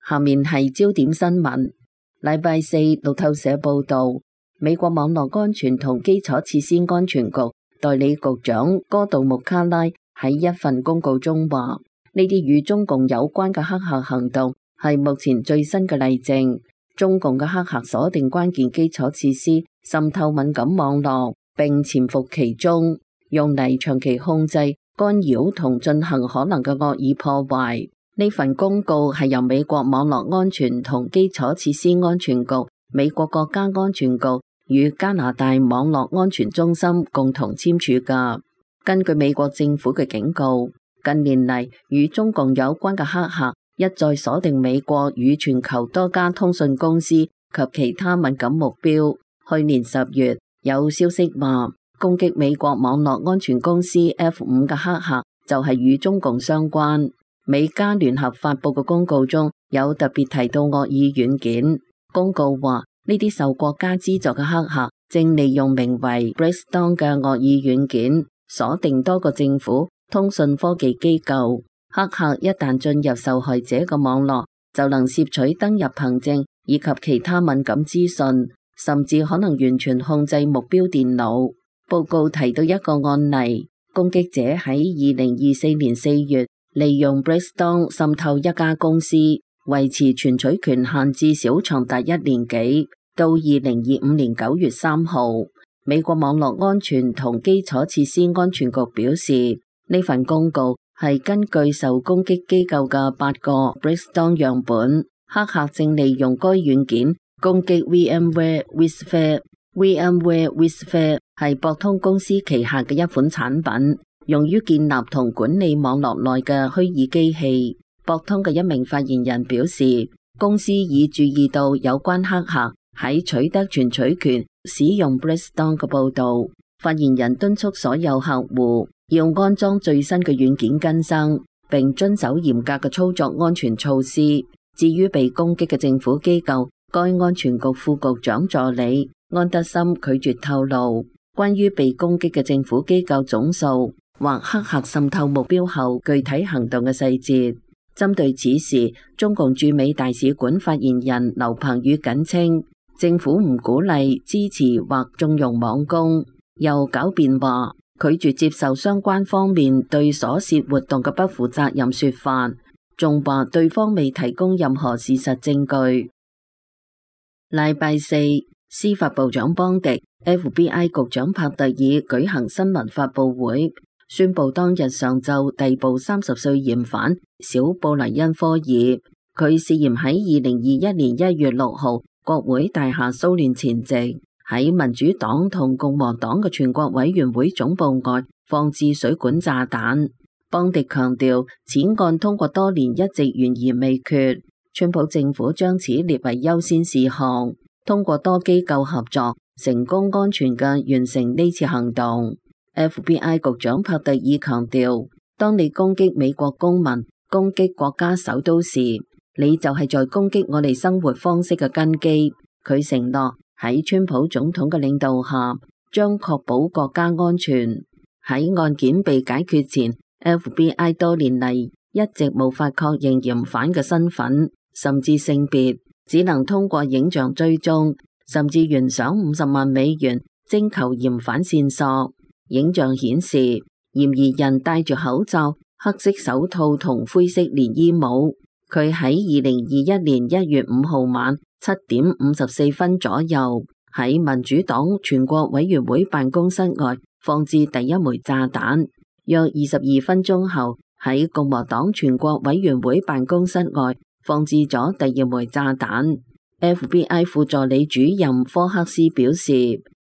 下面係焦點新聞。禮拜四，路透社報道，美國網絡安全同基礎設施安全局代理局長哥杜穆卡拉喺一份公告中話，呢啲與中共有關嘅黑客行動係目前最新嘅例證。中共嘅黑客鎖定關鍵基礎設施，滲透敏感網絡，並潛伏其中，用嚟長期控制、干擾同進行可能嘅惡意破壞。呢份公告係由美國網絡安全同基礎設施安全局、美國國家安全局與加拿大網絡安全中心共同簽署㗎。根據美國政府嘅警告，近年嚟與中共有關嘅黑客一再鎖定美國與全球多家通訊公司及其他敏感目標。去年10月，有消息話，攻擊美國網絡安全公司 F5 嘅黑客就係與中共相關。美加聯合發佈嘅公告中有特別提到惡意軟件。公告話，呢啲受國家資助嘅黑客正利用名為 Blackstone 嘅惡意軟件鎖定多個政府通訊科技機構。黑客一旦進入受害者嘅網絡，就能攝取登入憑證以及其他敏感資訊，甚至可能完全控制目標電腦。報告提到一個案例，攻擊者喺2024年4月利用 Blackstone 滲透一家公司，維持存取權限至少長達1年幾，到2025年9月3號。美國網絡安全同基礎設施安全局表示，呢份公告係根據受攻擊機構嘅8個 Blackstone 樣本，黑客正利用該軟件攻擊 VMware Wistfire。VMware Wistfire 係博通公司旗下嘅一款產品，用於建立同管理網絡內嘅虛擬機器。博通嘅一名發言人表示，公司已注意到有關黑客喺取得存取權使用 Blackstone 嘅報導。發言人敦促所有客戶要安裝最新嘅軟件更新，並遵守嚴格嘅操作安全措施。至於被攻擊嘅政府機構，該安全局副局長助理安德森拒絕透露關於被攻擊嘅政府機構總數或黑客滲透目標後具體行動嘅細節。針對此事，中共駐美大使館發言人劉鵬宇謹稱，政府唔鼓勵、支持或縱容網攻，又狡辯話拒絕接受相關方面對所涉活動嘅不負責任說法，仲話對方未提供任何事實證據。禮拜四，司法部長邦迪、FBI 局長帕特爾舉行新聞發佈會，宣布當日上晝逮捕30歲嫌犯小布黎恩科爾。佢涉嫌喺2021年1月6號國會大廈騷亂前夕，喺民主黨同共和黨嘅全國委員會總部外放置水管炸彈。邦迪強調，此案通過多年一直懸而未決，川普政府將此列為優先事項，通過多機構合作，成功安全嘅完成呢次行動。FBI 局長帕特爾強調，當你攻擊美國公民、攻擊國家首都時，你就係在攻擊我哋生活方式嘅根基。佢承諾喺川普總統嘅領導下，將確保國家安全。喺案件被解決前， FBI 多年嚟一直無法確認嫌犯嘅身份，甚至性別，只能通過影像追蹤，甚至懸賞50萬美元徵求嫌犯線索。影像顯示，嫌疑人戴住口罩、黑色手套同灰色連衣帽。佢喺2021年1月5號晚7點54分左右，喺民主黨全國委員會辦公室外放置第一枚炸彈。約22分鐘後，喺共和黨全國委員會辦公室外放置咗第二枚炸彈。FBI 副助理主任科克斯表示，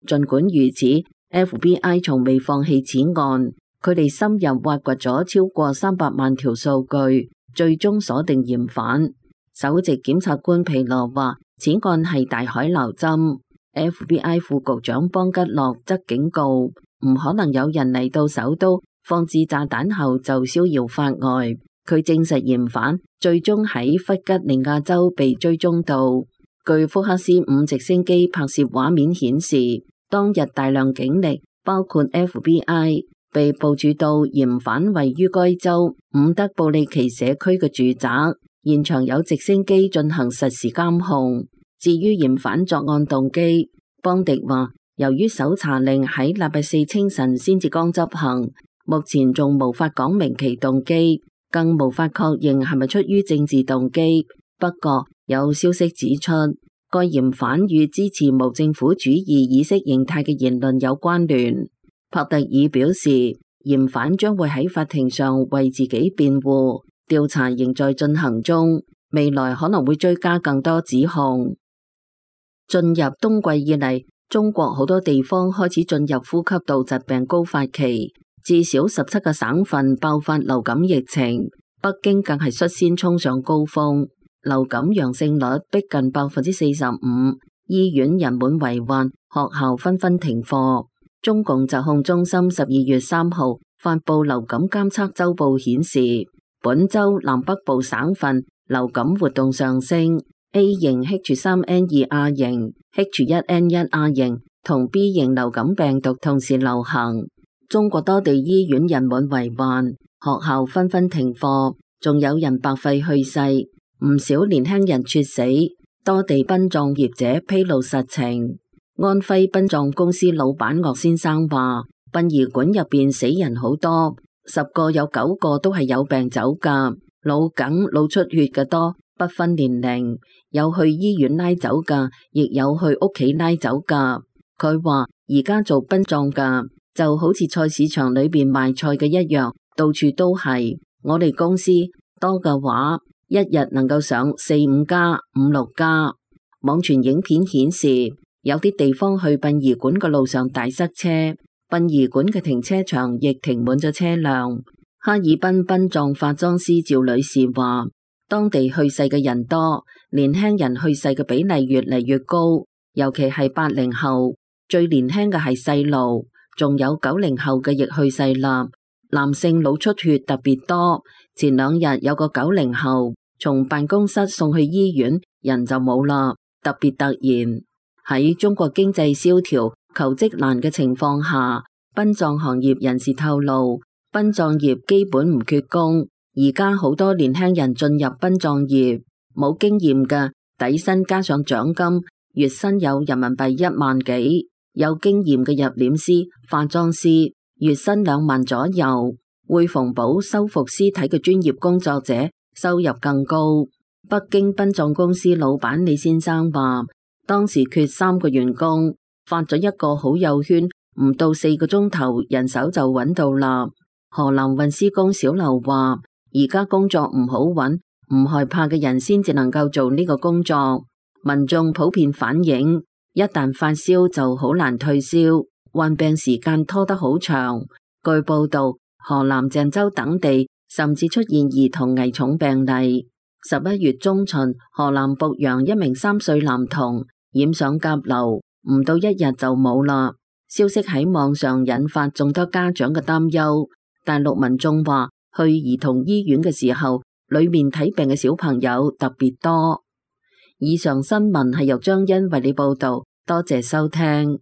儘管如此，FBI 從未放棄此案，佢哋深入挖掘咗超過300萬條數據，最終鎖定嫌犯。首席檢察官皮羅話，此案係大海撈針。FBI 副局長邦吉洛則警告，唔可能有人嚟到首都放置炸彈後就逍遙法外。佢證實嫌犯最終喺弗吉尼亞州被追蹤到。據福克斯5直升機拍攝畫面顯示，當日大量警力，包括 FBI， 被部署到嫌犯位於該州伍德布利奇社區嘅住宅，而現場有直升機進行實時監控。至於嫌犯作案動機，邦迪話由於搜查令喺禮拜四清晨先至剛執行，目前仲無法講明其動機，更無法確認係咪出於政治動機。不過有消息指出，該嫌犯與支持無政府主義意識形態嘅言論有關聯。帕特爾表示，嫌犯將會喺法庭上為自己辯護，調查仍在進行中，未來可能會追加更多指控。進入冬季以嚟，中國好多地方開始進入呼吸道疾病高發期，至少17個省份爆發流感疫情，北京更係率先衝上高峰，流感陽性率逼近45%，醫院人滿為患，學校紛紛停課。中共疾控中心12月3號發布流感監測週報顯示，本週南北部省份流感活動上升。A 型 H3N2 型、H1N1 型同 B 型流感病毒同時流行。中國多地醫院人滿為患，學校紛紛停課，仲有人白肺去世，唔少年輕人猝死。多地殯葬業者披露實情。安徽殯葬公司老闆岳先生話，殯儀館入邊死人好多，10個有9個都係有病走噶，腦梗、腦出血嘅多，不分年齡，有去醫院拉走噶，亦有去屋企拉走噶。佢話而家做殯葬噶就好似菜市場裏邊賣菜嘅一樣，到處都係。我哋公司多嘅話，一日能夠上4-5家、5-6家。網傳影片顯示，有啲地方去殯儀館嘅路上大塞車，殯儀館嘅停車場亦停滿咗車輛。哈爾濱殯葬化妝師趙女士話，當地去世嘅人多，年輕人去世嘅比例越嚟越高，尤其係80後，最年輕嘅係細路，仲有90後嘅亦去世啦。男性腦出血特別多，前2日有個90後從辦公室送去醫院，人就冇啦，特別突然。喺中國經濟蕭條、求職難嘅情況下，殯葬行業人士透露，殯葬業基本唔缺工。而家好多年輕人進入殯葬業，冇經驗嘅底薪加上獎金，月薪有人民幣1萬幾；有經驗嘅入殮師、化妝師，月薪2萬左右。會縫補、修復屍體嘅專業工作者收入更高。北京殯葬公司老闆李先生話，當時缺3個員工，發咗一個好友圈，唔到4個鐘頭，人手就揾到啦。河南運輸工小劉話，而家工作唔好揾，唔害怕嘅人先至能夠做呢個工作。民眾普遍反映，一旦發燒就好難退燒，患病時間拖得好長。據報道，河南鄭州等地甚至出現兒童危重病例。11月中旬，河南濮陽一名3歲男童染上甲流，唔到1日就冇啦。消息喺網上引發眾多家長嘅擔憂。大陸民眾話，去兒童醫院嘅時候，裏面睇病嘅小朋友特別多。以上新聞係由張欣為你報道，多謝收聽。